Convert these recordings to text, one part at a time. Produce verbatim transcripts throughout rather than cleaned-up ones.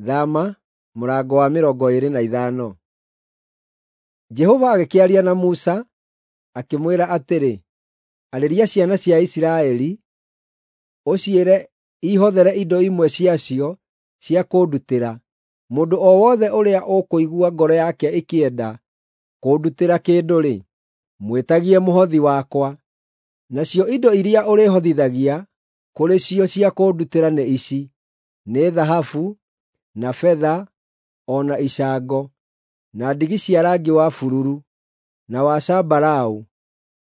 Thama mũrango wa mĩrongo ĩĩrĩ na ithano. Jehova agĩkĩaria na Musa, akĩmwĩra atĩrĩ, “Arĩria ciana cia Isiraeli, ũciĩre ihothere indo imwe ciacio cia kũndutĩra. Mũndũ o wothe ũrĩa ũkũigua ngoro yake ĩkĩenda kũndutĩra kĩndũ-rĩ, mwĩtagie mũhothi wakwa. Nacio indo iria ũrĩhotithagia kũrĩ cio cia kũndutĩra nĩ ici: nĩ thahabu, na betha, o na icango, na ndigi cia rangi wa bururu, na wa zambarau,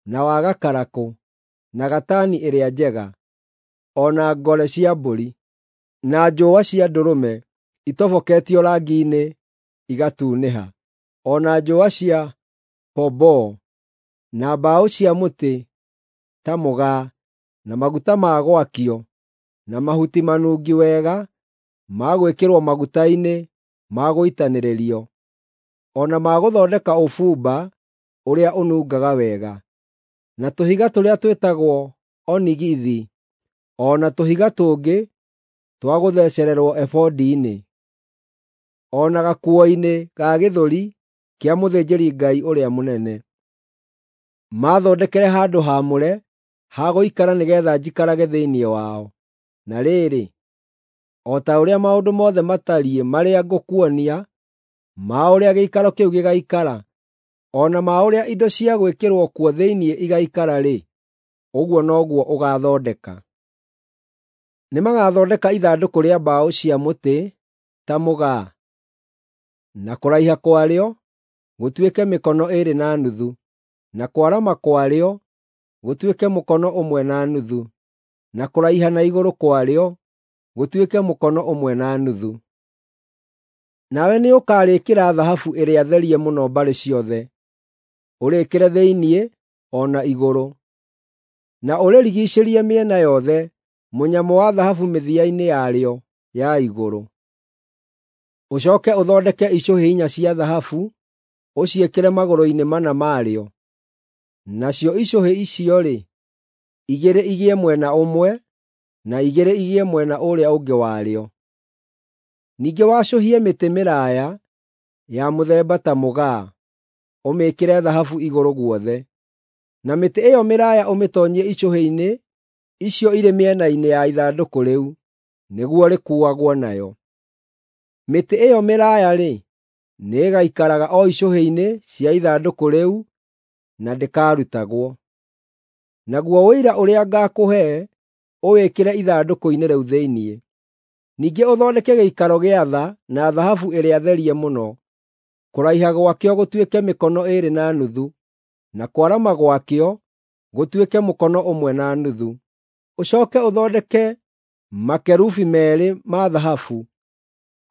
na wa gakarakũ, na gatani ĩrĩa njega, o na ngore cia mbũri, na njũũa cia ndũrũme itoboketio rangi-inĩ igatunĩha, o na njũũa cia pomboo, na mbaũ cia mũtĩ ta mũgaa, na maguta ma gwakio, na mahuti manungi wega ma gwĩkĩrwo maguta-inĩ ma gũitanĩrĩrio, o na ma gũthondeka ũbumba ũrĩa ũnungaga wega, na tũhiga tũrĩa twĩtagwo onigithi, o na tũhiga tũngĩ twa gũthecererwo ebodi-inĩ, o na gakuo-inĩ ga gĩthũri kĩa mũthĩnjĩri-Ngai ũrĩa mũnene. Maathondekere handũ haamũre ha gũikara nĩgeetha njikarage thĩinĩ wao. Na rĩrĩ, o ta ũrĩa maũndũ mothe matariĩ marĩa ngũkuonia ma ũrĩa gĩikaro kĩu gĩgaikara, o na ma ũrĩa indo cia gwĩkĩrwo kuo thĩinĩ igaikara-rĩ, ũguo noguo ũgaathondeka. Nĩmagathondeka ithandũkũ rĩa mbaũ cia mũtĩ ta mũgaa, na kũraiha kwarĩo gũtuĩke mĩkono ĩĩrĩ na nuthu, na kwarama kwarĩo gũtuĩke mũkono ũmwe na nuthu, na kũraiha na igũrũ kwarĩo gũtuĩke mũkono ũmwe na nuthu. Nawe nĩũkarĩĩkĩra thahabu ĩrĩa therie mũno mbarĩ ciothe, ũrĩĩkĩre thĩinĩ o na igũrũ, na ũrĩrigiicĩrie mĩena yothe mũnyamũ wa thahabu mĩthia-inĩ yarĩo ya igũrũ. Ũcooke ũthondeke icũhĩ inya cia thahabu ũciĩkĩre magũrũ-inĩ mana marĩo. Nacio icũhĩ icio-rĩ, igĩrĩ igĩe mwena ũmwe na igĩrĩ igĩe mwena ũrĩa ũngĩ warĩo. Ningĩ wacũhie mĩtĩ mĩraaya ya mũthemba ta mũgaa, ũmĩĩkĩre thahabu igũrũ guothe. Na mĩtĩ ĩyo mĩraaya ũmĩtoonyie icũhĩ-inĩ icio irĩ mĩena-inĩ ya ithandũkũ rĩu, nĩguo rĩkuuagwo nayo. Mĩtĩ ĩyo mĩraaya-rĩ, nĩĩgaikaraga o icũhĩ-inĩ cia ithandũkũ rĩu na ndĩkarutagwo. Naguo ũira ũrĩa ngaakũhe ũwĩkĩre ithandũkũ-inĩ rĩu thĩinĩ. Ningĩ ũthondeke gĩikaro gĩa tha na thahabu ĩrĩa therie mũno. Kũraiha gwakĩo gũtuĩke mĩkono ĩĩrĩ na nuthu, na kwarama gwakĩo gũtuĩke mũkono ũmwe na nuthu. Ũcooke ũthondeke makerubi meerĩ ma thahabu,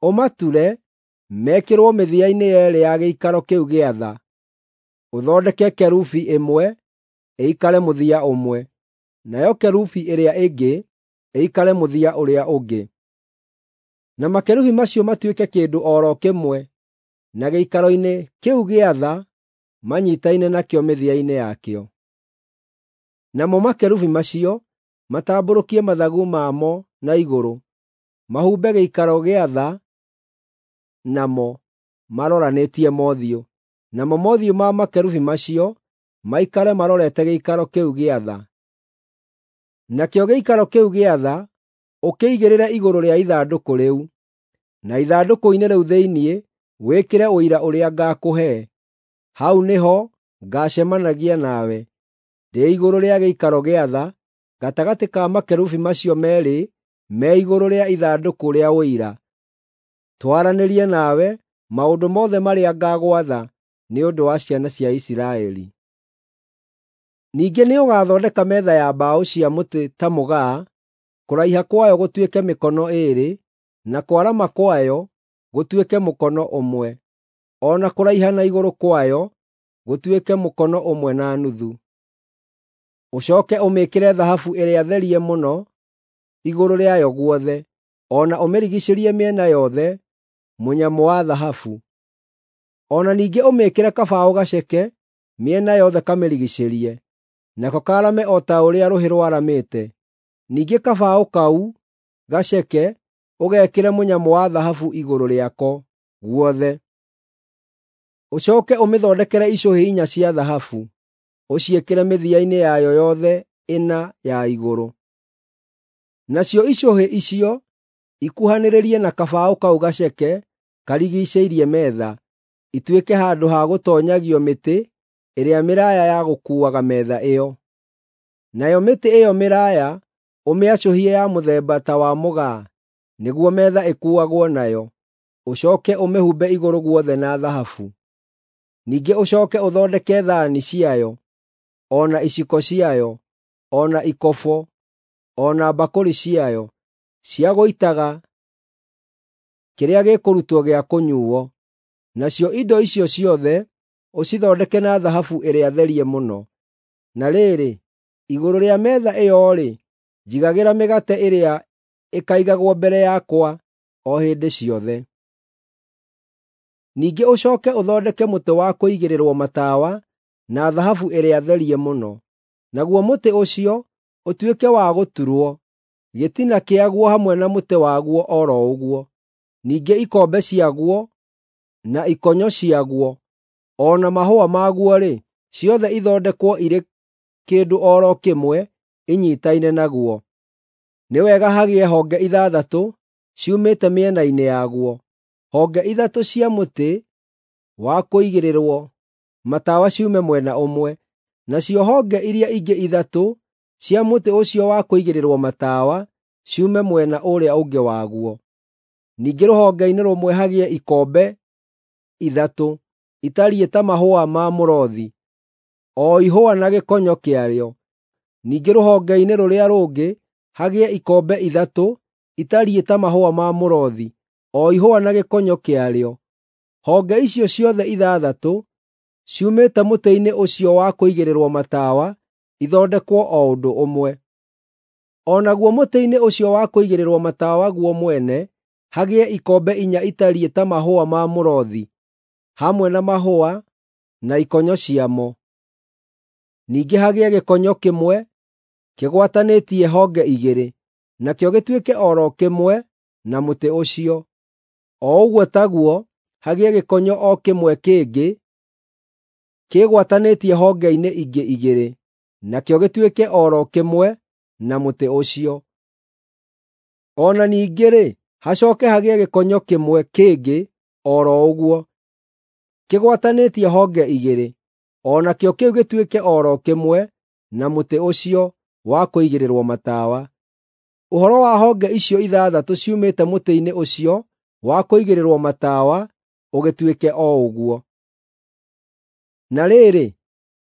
ũmature mekĩrwo mĩthia-inĩ yeerĩ ya gĩikaro kĩu gĩa tha. Ũthondeke kerubi ĩmwe ĩikare mũthia ũmwe, nayo kerubi ĩrĩa ĩngĩ ĩikare mũthia ũrĩa ũngĩ. Na makerubi macio matuĩke kĩndũ o ro kĩmwe na gĩikaro-inĩ kĩu gĩa tha manyiitaine nakĩo mĩthia-inĩ yakĩo. Namo makerubi macio matambũrũkie mathagu mamo na igũrũ, mahumbe gĩikaro gĩa tha namo maroranĩtie mothiũ. Namo mothiũ ma makerubi macio maikare marorete gĩikaro kĩu gĩa tha. Nakĩo gĩikaro kĩu gĩa tha ũkĩigĩrĩre igũrũ rĩa ithandũkũ rĩu, na ithandũkũ-inĩ rĩu thĩinĩ wĩkĩre ũira ũrĩa ngaakũhe. Hau nĩho ngaacemanagia nawe, ndĩ igũrũ rĩa gĩikaro gĩa tha, gatagatĩ ka makerubi macio meerĩ me igũrũ rĩa ithandũkũ rĩa Ũira, twaranĩrie nawe maũndũ mothe marĩa ngaagwatha nĩ ũndũ wa ciana cia Isiraeli. Ningĩ nĩũgathondeka metha ya mbaũ cia mũtĩ ta mũgaa, kũraiha kwayo gũtuĩke mĩkono ĩĩrĩ, na kwarama kwayo gũtuĩke mũkono ũmwe, o na kũraiha na igũrũ kwayo gũtuĩke mũkono ũmwe na nuthu. Ũcooke ũmĩĩkĩre thahabu ĩrĩa therie mũno igũrũ rĩayo guothe, o na ũmĩrigiicĩrie mĩena yothe mũnyamũ wa thahabu. O na ningĩ ũmĩĩkĩre kabaũ gaceke mĩena yothe kamĩrigiicĩrie, nako kaarame o ta ũrĩa rũhĩ rwaramĩte. Ningĩ kabaũ kau gaceke ũgekĩre mũnyamũ wa thahabu igũrũ rĩako guothe. Ũcooke ũmĩthondekere icũhĩ inya cia thahabu, ũciĩkĩre mĩthia-inĩ yayo yothe ĩna ya igũrũ. Nacio icũhĩ icio ikuhanĩrĩrie na kabaũ kau gaceke karigiicĩirie metha, ituĩke handũ ha gũtoonyagio mĩtĩ ĩrĩa mĩraaya ya gũkuuaga metha ĩyo. Nayo mĩtĩ ĩyo mĩraaya ũmĩacũhie ya mũthemba ta wa mũgaa nĩguo metha ĩkuuagwo nayo, ũcooke ũmĩhumbe igũrũ guothe na thahabu. Ningĩ ũcooke ũthondeke thaani ciayo, o na iciko ciayo, o na ikobo, o na mbakũri ciayo cia gũitaga kĩrĩa gĩkũrutwo gĩa kũnyuuo. Nacio indo icio ciothe ũcithondeke na thahabu ĩrĩa therie mũno. Na rĩrĩ, igũrũ rĩa metha ĩyo-rĩ, njigagĩra mĩgate ĩrĩa ĩkaigagwo mbere yakwa o hĩndĩ ciothe. Ningĩ ũcooke ũthondeke mũtĩ wa kũigĩrĩrwo matawa na thahabu ĩrĩa therie mũno. Naguo mũtĩ ũcio ũtuĩke wa gũturwo, gĩtina kĩaguo hamwe na mũtĩ waguo o ro ũguo. Ningĩ ikombe ciaguo, na ikonyo ciaguo, o na mahũa maguo-rĩ, ciothe ithondekwo irĩ kĩndũ o ro kĩmwe inyiitaine naguo. Nĩ wega hagĩe honge ithathatũ ciumĩte mĩena-inĩ yaguo, honge ithatũ cia mũtĩ wa kũigĩrĩrwo matawa ciume mwena ũmwe, nacio honge iria ingĩ ithatũ cia mũtĩ ũcio wa kũigĩrĩrwo matawa ciume mwena ũrĩa ũngĩ waguo. Ningĩ rũhonge-inĩ rũmwe hagĩe ikombe ithatũ itariĩ ta mahũa ma mũrothi, o ihũa na gĩkonyo kĩarĩo. Ningĩ rũhonge-inĩ rũrĩa rũngĩ hagĩe ikombe ithatũ itariĩ ta mahũa ma mũrothi, o ihũa na gĩkonyo kĩarĩo. Honge icio ciothe ithathatũ ciumĩte mũtĩ-inĩ ũcio wa kũigĩrĩrwo matawa ithondekwo o ũndũ ũmwe. O naguo mũtĩ-inĩ ũcio wa kũigĩrĩrwo matawa guo mwene hagĩe ikombe inya itariĩ ta mahũa ma mũrothi, hamwe na mahũa na ikonyo ciamo. Ningĩ hagĩe gĩkonyo kĩmwe kĩgwatanĩtie honge igĩrĩ, nakĩo gĩtuĩke o ro kĩmwe na mũtĩ ũcio. O ũguo taguo hagĩe gĩkonyo o kĩmwe kĩngĩ kĩgwatanĩtie honge-inĩ ingĩ igĩrĩ, nakĩo gĩtuĩke o ro kĩmwe na mũtĩ ũcio. O na ningĩ-rĩ, hacooke hagĩe gĩkonyo kĩmwe kĩngĩ o ro ũguo, kĩgwatanĩtie honge igĩrĩ, o nakĩo kĩu gĩtuĩke o ro kĩmwe na mũtĩ ũcio wa kũigĩrĩrwo matawa. Ũhoro wa honge icio ithathatũ ciumĩte mũtĩ-inĩ ũcio wa kũigĩrĩrwo matawa ũgĩtuĩke o ũguo. Na rĩrĩ,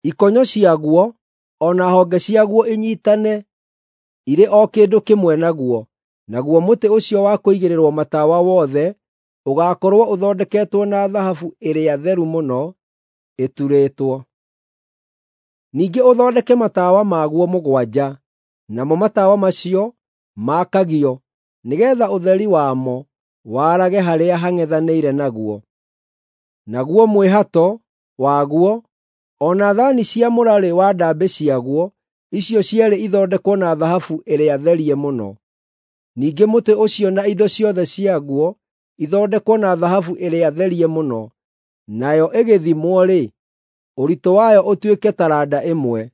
ikonyo ciaguo o na honge ciaguo inyiitane irĩ o kĩndũ kĩmwe naguo, naguo mũtĩ ũcio wa kũigĩrĩrwo matawa wothe ũgaakorwo ũthondeketwo na thahabu ĩrĩa theru mũno ĩturĩtwo. Ningĩ ũthondeke matawa maguo mũgwanja, namo matawa macio maakagio nĩgeetha ũtheri wamo warage harĩa hang'ethanĩire naguo. Naguo mwĩhato waguo, o na thaani cia mũrarĩ wa ndaambĩ ciaguo, icio cierĩ ithondekwo na thahabu ĩrĩa therie mũno. Ningĩ mũtĩ ũcio na indo ciothe ciaguo ithondekwo na thahabu ĩrĩa therie mũno, nayo ĩgĩthimwo-rĩ, ũritũ wayo ũtuĩke taranda ĩmwe.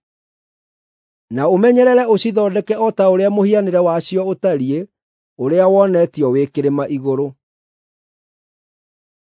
Na ũmenyerere ũcithondeke o ta ũrĩa mũhianĩre wacio ũtariĩ ũrĩa wonetio wĩ kĩrĩma igũrũ.